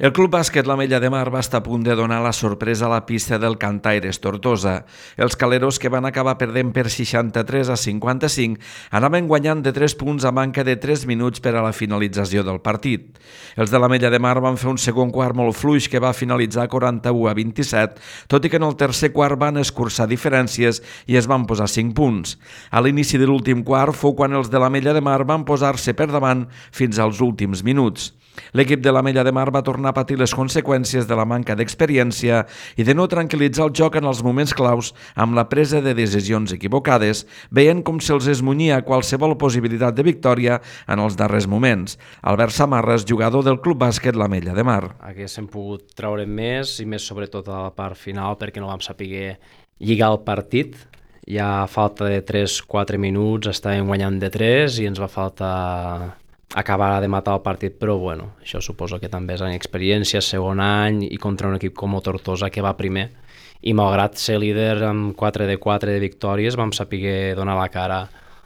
El Club Bàsquet l'Ametlla de Mar va estar a punt de donar la sorpresa a la pista del Cantaires Tortosa. Els caleros, que van acabar perdent per 63-55, anaven guanyant de 3 punts a manca de 3 minuts per a la finalització del partit. Els de l'Ametlla de Mar van fer un segon quart molt fluix que va finalitzar 41-27, tot i que en el tercer quart van escurçar diferències i es van posar 5 punts. A l'inici de l'últim quart fou quan els de l'Ametlla de Mar van posar-se per davant fins als últims minuts. L'equip de l'Ametlla de Mar va tornar a patir les conseqüències de la manca d'experiència i de no tranquil·litzar el joc en els moments claus amb la presa de decisions equivocades, veient com se'ls esmunyia qualsevol possibilitat de victòria en els darrers moments. Albert Samarras, jugador del Club Bàsquet l'Ametlla de Mar. Haguéssim pogut treure més i més sobretot a la part final perquè no vam saber lligar el partit. Ja a falta de 3-4 minuts estàvem guanyant de 3 i ens va faltar acabar de matar el partit, però bueno, això suposo que també és en experiència, segon any i contra un equip com el Tortosa que va primer i malgrat ser líder amb 4 de 4 de victòries vam saber donar la cara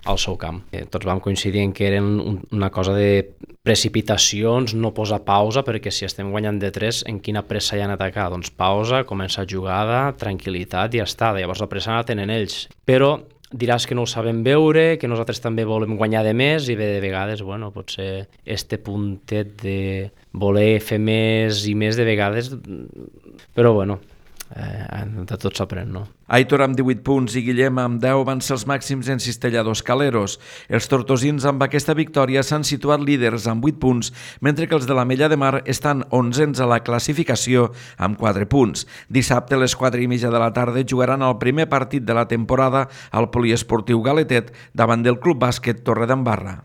al seu camp. Tots vam coincidir en que eren una cosa de precipitacions, no posar pausa, perquè si estem guanyant de 3, en quina pressa hi ha en atacar? Doncs pausa, començar jugada, tranquil·litat i ja està. Llavors la pressa la tenen ells. Però diràs que no ho sabem veure, que nosaltres també volem guanyar de més i de vegades, bueno, potser este puntet de voler fer més i més de vegades, però bueno, de tot s'aprèn, no? Aitor amb 18 punts i Guillem amb 10 van ser els màxims encistelladors caleros. Els tortosins amb aquesta victòria s'han situat líders amb 8 punts, mentre que els de l'Ametlla de Mar estan 11ens a la classificació amb 4 punts. Dissabte a les 4:30 de la tarda jugaran el primer partit de la temporada al Poliesportiu Galetet davant del Club Bàsquet Torredembarra.